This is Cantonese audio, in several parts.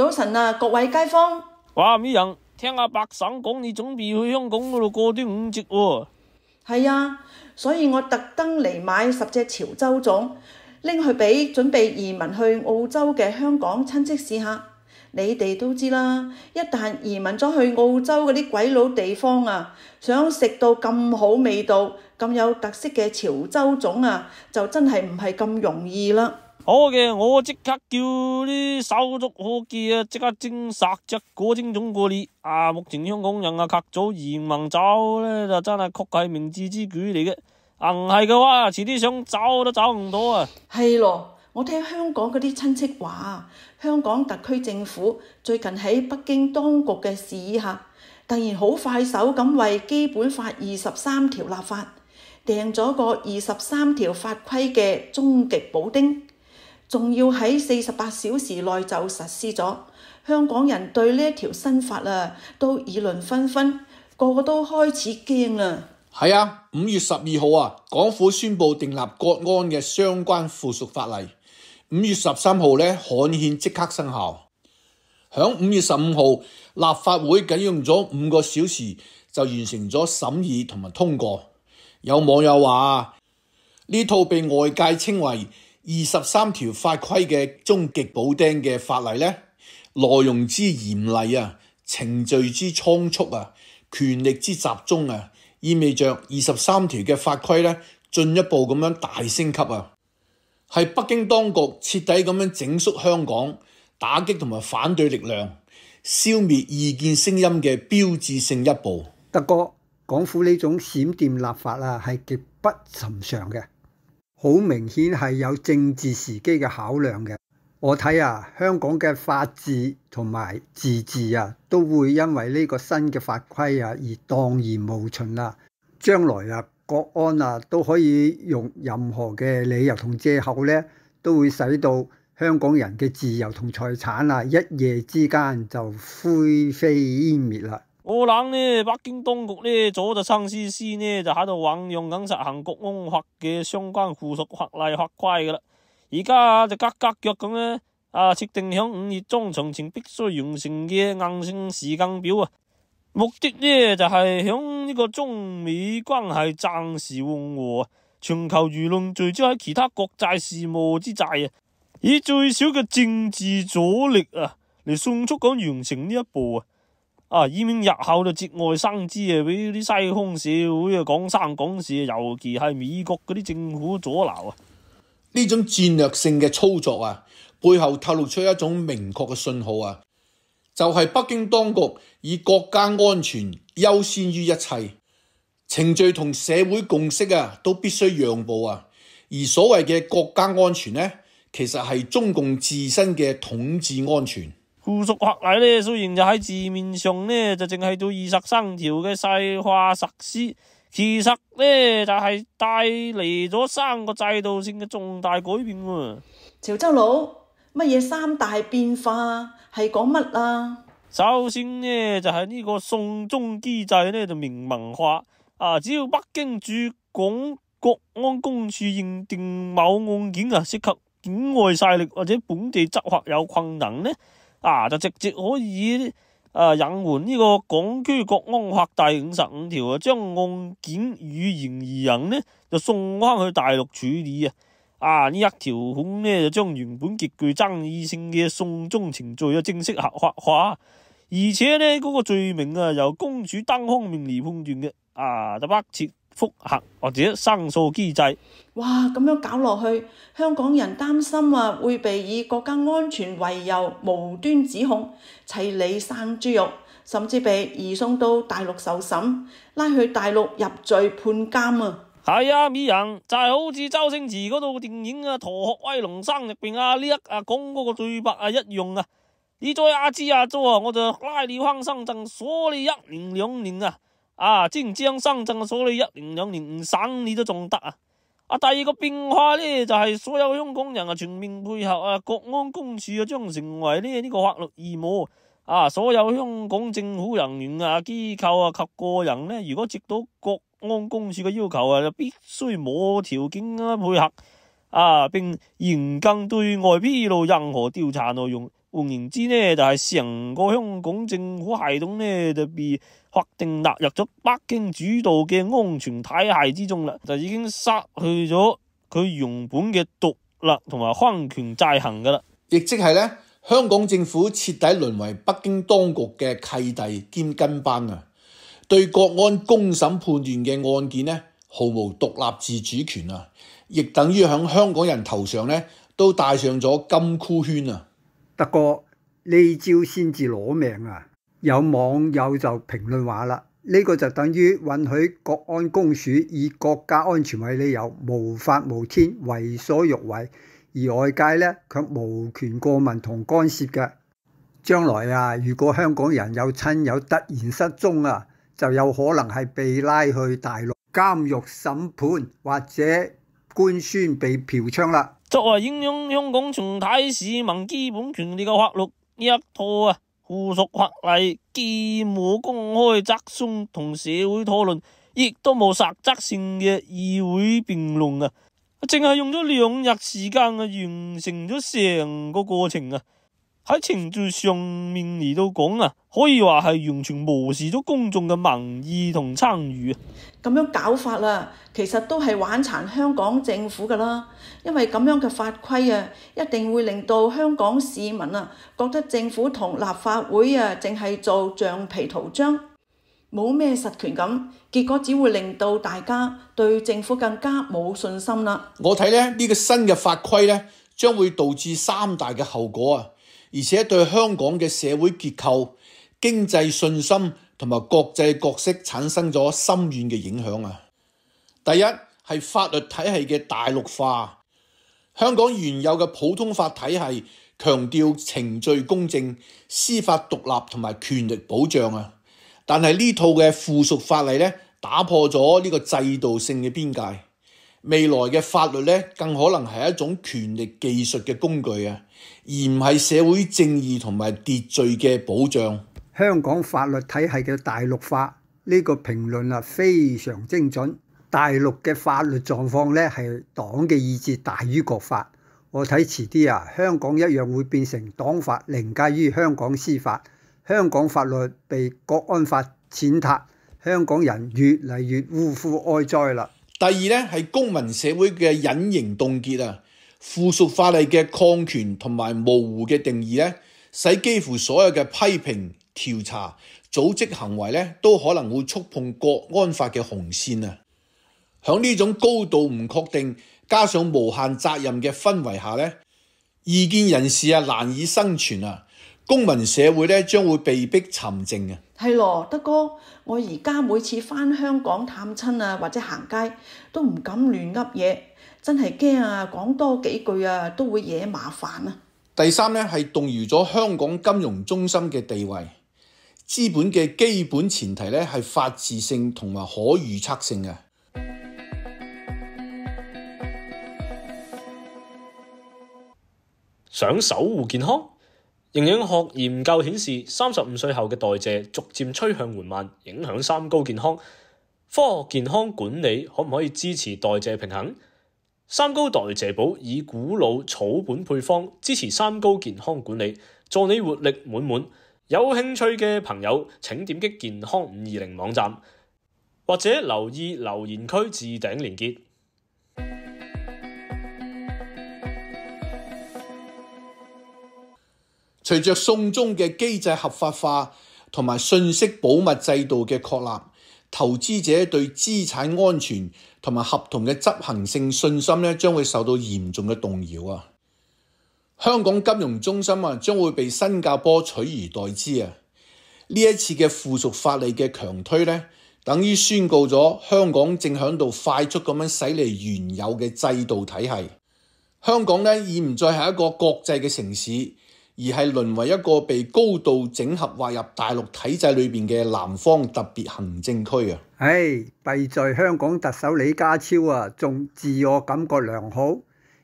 早晨啊，各位街坊。哇，美人，聽阿白省講你準備去香港嗰度過端午節喎。係啊，所以我特登嚟買10隻潮州粽，拎去俾準備移民去澳洲嘅香港親戚試下。你哋都知啦，一旦移民咗去澳洲嗰啲鬼佬地方啊，想食到咁好味道、咁有特色嘅潮州粽啊，就真係唔係咁容易啦。好嘅，我即刻叫啲手足伙計啊，即刻蒸10隻果蒸粽過嚟。目前香港人及早移民走咧，就真係確係明智之舉嚟嘅。唔係嘅話，遲啲想走都走唔到啊。係咯，我聽香港嗰啲親戚話，香港特區政府最近喺北京當局嘅示意下，突然好快手咁為基本法23條立法，訂咗個23條法規嘅終極補丁。仲要喺48小時內就實施咗，香港人對呢一條新法啊都議論紛紛，個個都開始驚啦。係啊，5月12號啊，港府宣布訂立國安嘅相關附屬法例。5月13號呢，刊憲即刻生效。響5月15號，立法會僅用咗5個小時就完成咗審議同埋通過。有網友話呢套被外界稱為23條法規嘅終極補丁嘅法例呢，內容之嚴厲啊，程序之倉促啊，權力之集中啊，意味着23條嘅法規呢進一步咁樣大升級啊，係北京當局徹底咁樣整肅香港，打擊同埋反對力量，消滅異見聲音嘅標誌性一步。德哥，港府呢種閃電立法啊，係極不尋常嘅。好明顯係有政治時機嘅考量嘅。我睇啊，香港嘅法治同埋自治啊，都會因為呢個新嘅法規啊而蕩然無存啦。將來啊，國安啊都可以用任何嘅理由同藉口呢，都會使到香港人嘅自由同財產啊，一夜之間就灰飛煙滅啦。我諗呢，北京當局呢，早就親絲絲呢，就喺度醞釀緊實行國安法嘅相關附屬法例法規噶啦。而家就急急腳咁呢，設定響5月中旬前必須完成嘅硬性時間表啊。目的呢就係響呢個中美關係暫時緩和，全球輿論聚焦喺其他國際事務之際啊，以最少嘅政治阻力啊嚟迅速咁完成呢一步啊，以免日後就節外生枝啊，俾啲西方社會啊講三講四，尤其係美國嗰啲政府阻撓啊。呢種戰略性嘅操作啊，背後透露出一種明確嘅信號啊，就係北京當局以國家安全優先於一切，程序同社會共識啊都必須讓步啊。而所謂嘅國家安全呢，其實係中共自身嘅統治安全。附屬法例呢，雖然就喺字面上呢，就淨係到23條嘅細化實施，其實呢就係帶嚟咗3個制度性嘅重大改變喎。潮州佬，乜嘢3大變化係講乜啊？首先呢就係呢個送中機制呢就明文化只要北京駐港國安公署認定某案件涉及境外勢力或者本地執法有困難呢，就直接可以引援呢個港區國安法第55條將案件與嫌疑人呢就送翻去大陸處理呢一條款呢就將原本極具爭議性嘅送中程序正式合法化，而且呢嗰個罪名由公署單方面嚟判斷嘅就不設覆核或者申訴機制。哇，咁樣搞落去，香港人擔心會被以國家安全為由無端指控，齊嚟生豬肉，甚至被移送到大陸受審，拉去大陸入罪判監啊！係啊，美人就係好似周星馳嗰套電影《逃學威龍3》入邊呢一講嗰個對白一樣你再亞洲我就拉你翻深圳鎖你1年2年浙江深圳鎖你1年2年唔省你都仲得第二個變化呢，就係所有香港人全面配合國安公署將成為呢個法律義務所有香港政府人員機構及個人呢，如果接到國安公署嘅要求就必須無條件配合並嚴禁對外披露任何調查內容，換言之呢，就係成個香港政府系統呢，就被劃定納入咗北京主導嘅安全體系之中啦，就已經失去咗佢原本嘅獨立同埋分權制衡噶啦。亦即係咧，香港政府徹底淪為北京當局嘅契弟兼跟班啊！對國安公審判斷嘅案件呢，毫無獨立自主權啊！亦等於響香港人頭上呢，都戴上咗金箍圈啊！德哥呢招先至攞命啊！有網友就評論話啦，呢個就等於允許國安公署以國家安全為理由無法無天為所欲為，而外界呢卻無權過問同干涉嘅。將來啊，如果香港人有親友突然失蹤啊，就有可能係被拉去大陸監獄審判，或者官宣被嫖娼啦。作為影響香港全體市民基本權利嘅法律，呢一套附屬法例既冇公開質詢同社會討論，亦都冇實質性嘅議會辯論啊！淨係用咗2日時間完成咗成個過程啊！喺程序上面嚟到講啊，可以話係完全無視咗公眾嘅民意同參與啊！咁樣搞法啦，其實都係玩殘香港政府噶啦，因為咁樣嘅法規啊，一定會令到香港市民啊覺得政府同立法會啊淨係做橡皮圖章，冇咩實權咁，結果只會令到大家對政府更加冇信心啦。我睇咧呢個新嘅法規咧，將會導致3大嘅後果啊！而且對香港嘅社會結構、經濟信心同埋國際角色產生咗深遠嘅影響啊！第一係法律體系嘅大陸化，香港原有嘅普通法體系強調程序公正、司法獨立同埋權力保障啊，但係呢套嘅附屬法例咧，打破咗呢個制度性嘅邊界。未來嘅法律咧，更可能係一種權力技術嘅工具啊，而唔係社會正義同埋秩序嘅保障。香港法律體系嘅大陸化呢個評論啊，非常精準。大陸嘅法律狀況咧，係黨嘅意志大於國法。我睇遲啲啊，香港一樣會變成黨法凌駕於香港司法，香港法律被國安法踐踏，香港人越嚟越嗚呼哀哉啦。第二咧係公民社會嘅隱形凍結啊，附屬法例嘅擴權同埋模糊嘅定義咧，使幾乎所有嘅批評、調查、組織行為咧，都可能會觸碰國安法嘅紅線啊！響呢種高度唔確定，加上無限責任嘅氛圍下咧，異見人士啊難以生存啊！公民社會咧將會被逼沉靜啊！係咯，德哥，我而家每次返香港探親啊，或者行街都唔敢亂噏嘢，真係驚啊！講多幾句啊，都會惹麻煩啊！第三咧係動搖咗香港金融中心嘅地位。資本嘅基本前提咧係法治性同埋可預測性嘅。想守護健康？營養學研究顯示，35歲後嘅代謝逐漸趨向緩慢，影響三高健康。科學健康管理可唔可以支持代謝平衡？三高代謝寶以古老草本配方支持三高健康管理，助你活力滿滿。有興趣嘅朋友請點擊健康520網站，或者留意留言區置頂連結。隨着送中嘅機制合法化同埋信息保密制度嘅確立，投資者對資產安全同埋合同嘅執行性信心咧，將會受到嚴重嘅動搖啊！香港金融中心啊，將會被新加坡取而代之啊！呢一次嘅附屬法例嘅強推咧，等於宣告咗香港正響度快速咁樣駛離原有嘅制度體系。香港咧已唔再係一個國際嘅城市，而係淪為一個被高度整合劃入大陸體制裏邊嘅南方特別行政區啊！弊在香港特首李家超啊，仲自我感覺良好。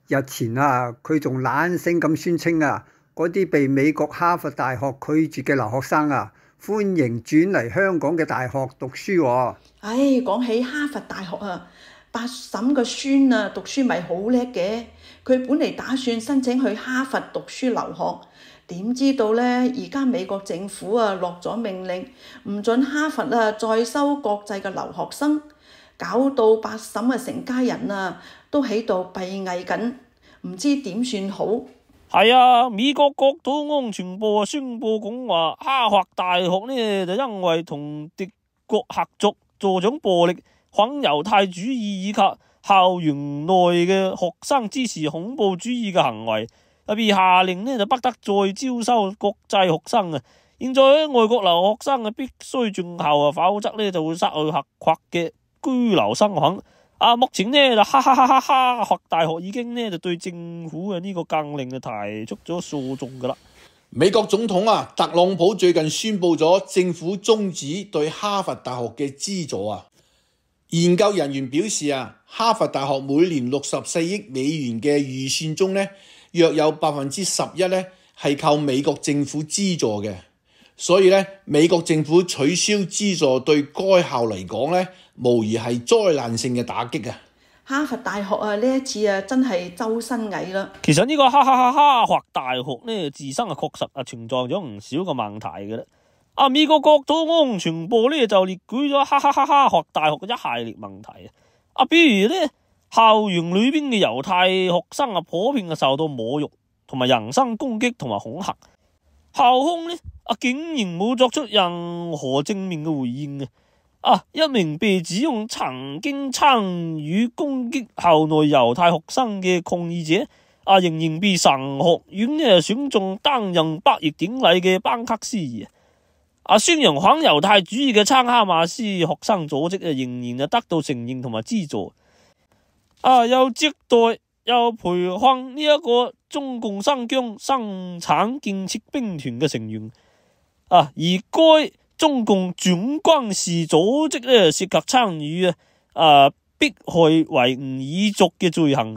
日前啊，佢仲懶聲咁宣稱啊，嗰啲被美國哈佛大學拒絕嘅留學生啊，歡迎轉嚟香港嘅大學讀書喎。講起哈佛大學啊，八嬸個孫啊，讀書咪好叻嘅。佢本嚟打算申請去哈佛讀書留學，點知道呢？而家美國政府啊落咗命令，唔准哈佛啊再收國際嘅留學生，搞到八嬸嘅成家人啊都喺度閉翳緊，唔知點算好。係啊，美國國土安全部宣布講話，哈佛大學呢就因為同敵國合作助長暴力、反猶太主義以及校園內嘅學生支持恐怖主義嘅行為，特別下令呢就不得再招收國際學生啊！現在外國留學生啊必須進校啊，否則呢就會失去合法嘅居留身份。目前呢就哈佛大學已經呢就對政府嘅呢個禁令就提出咗訴訟噶啦。美國總統特朗普最近宣布咗政府終止對哈佛大學嘅資助啊。研究人員表示哈佛大學每年64億美元嘅預算中呢，約有11%呢係靠美國政府資助嘅，所以呢，美國政府取消資助對該校嚟講呢，無疑係災難性嘅打擊啊！哈佛大學呢一次真係周身蟻啦。其實呢個哈佛大學呢自身確實存在咗唔少嘅問題嘅啦。美國國土安全部呢就列舉咗哈佛大學嘅一系列問題比如呢，校園裏邊嘅猶太學生普遍受到侮辱同埋人身攻擊同埋恐嚇，校方呢竟然冇作出任何正面嘅回應一名被指控曾經參與攻擊校內猶太學生嘅抗議者仍然被神學院呢選中擔任畢業典禮嘅班克斯宣揚反猶太主義嘅參哈馬斯學生組織仍然得到承認同埋資助又接待又培訓呢一個中共新疆生產建設兵團嘅成員而該中共準軍事組織呢涉及參與迫害維吾爾族嘅罪行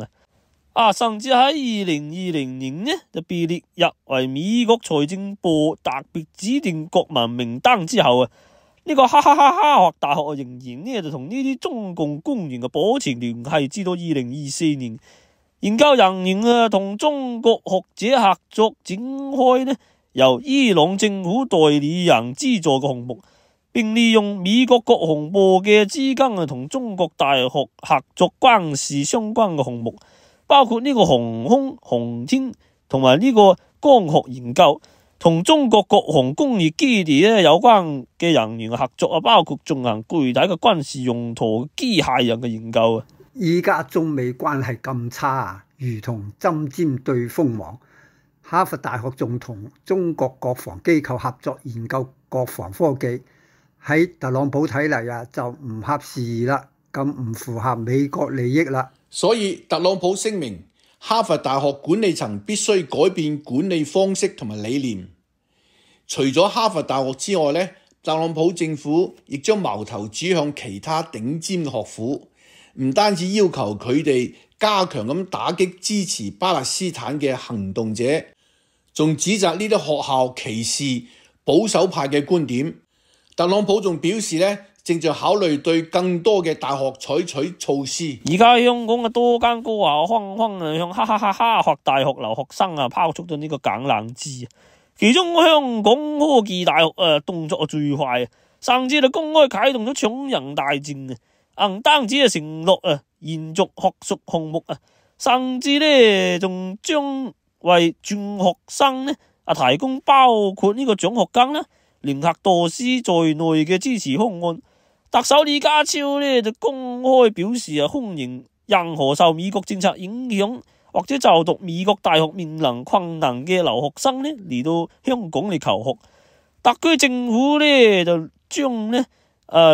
甚至喺2020年呢就被列入為美國財政部特別指定國民名單之後呢個哈佛大學仍然呢就同呢啲中共官員保持聯繫，至到2024年，研究人員同中國學者合作展開呢由伊朗政府代理人資助嘅項目，並利用美國國防部嘅資金同中國大學合作軍事相關嘅項目，包括呢個航空航天同埋呢個光學研究，同中國國防工業基地有關嘅人員合作包括進行具體嘅軍事用途機械人嘅研究依家中美關係咁差如同針尖對鋒芒。哈佛大學仲同中國國防機構合作研究國防科技，喺特朗普睇嚟就唔合時宜啦，咁唔符合美國利益啦。所以特朗普聲明，哈佛大學管理層必須改變管理方式同埋理念。除咗哈佛大學之外呢，特朗普政府亦將矛頭指向其他頂尖嘅學府，唔單止要求佢哋加強咁打擊支持巴勒斯坦嘅行動者，仲指責呢啲學校歧視保守派嘅觀點。特朗普仲表示呢，正在考慮對更多嘅大學採取措施。而家香港嘅多間高校紛紛向哈佛大學留學生拋出咗呢個橄欖枝，其中香港科技大學動作最快，甚至就公開啟動咗搶人大戰唔單止承諾延續學術項目甚至呢仲將為轉學生呢提供包括呢個獎學金啦、聯合導師在內嘅支持方案。特首李家超呢就公開表示歡迎任何受美國政策影響或者就讀美國大學面臨困難嘅留學生呢嚟到香港嚟求學。特區政府呢就將呢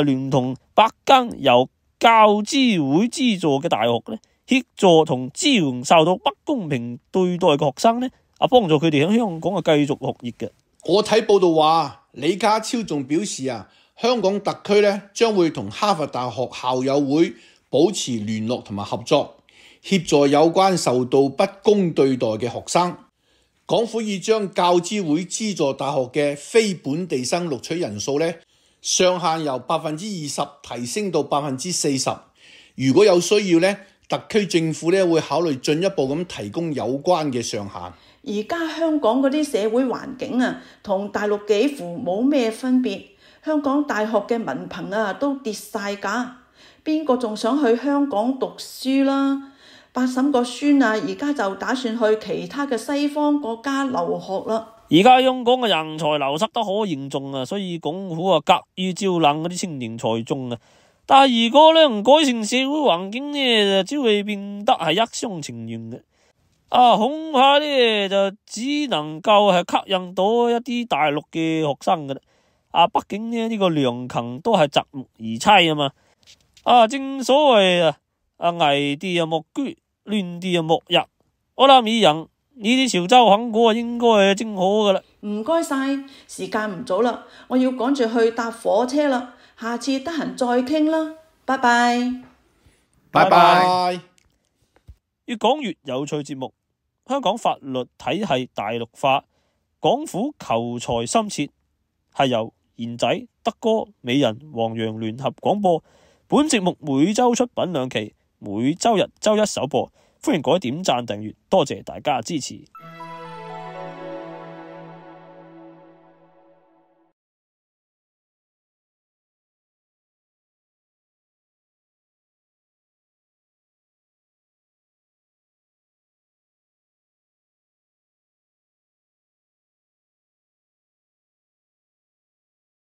聯同8間由教資會資助嘅大學呢協助同支援受到不公平對待嘅學生呢幫助佢哋喺香港繼續學業嘅。我睇報道話，李家超仲表示香港特區呢將會同哈佛大學校友會保持聯絡同埋合作，協助有關受到不公對待嘅學生。港府已將教資會資助大學嘅非本地生錄取人數呢上限由 20% 提升到 40%。如果有需要呢，特區政府呢會考慮進一步咁提供有關嘅上限。而家香港嗰啲社會環境啊，同大陸幾乎冇咩分別。香港大學嘅文憑啊都跌晒價，邊個仲想去香港讀書啦？八嬸個孫啊，而家就打算去其他嘅西方國家留學啦。而家香港嘅人才流失得可嚴重啊，所以港府啊急於招攬嗰啲青年才俊啊。但係如果咧唔改善社會環境咧，就只會變得係一廂情願嘅。恐怕咧就只能夠係吸引到一啲大陸嘅學生嘅啦。畢竟呢個良禽都係擇木而棲啊嘛。正所謂危地莫居，亂地莫入。我諗以人呢啲潮州肯果應該係正好噶啦。唔該晒，時間唔早啦，我要趕住去搭火車啦。下次得閒再傾啦，拜拜。拜拜。越講越有趣節目，香港法律體系大陸化，港府求財心切，係由賢仔、德哥、美人、黃洋聯合廣播。本節目每周出品2期，每周日周一首播。歡迎各位點讚訂閱，多謝大家支持。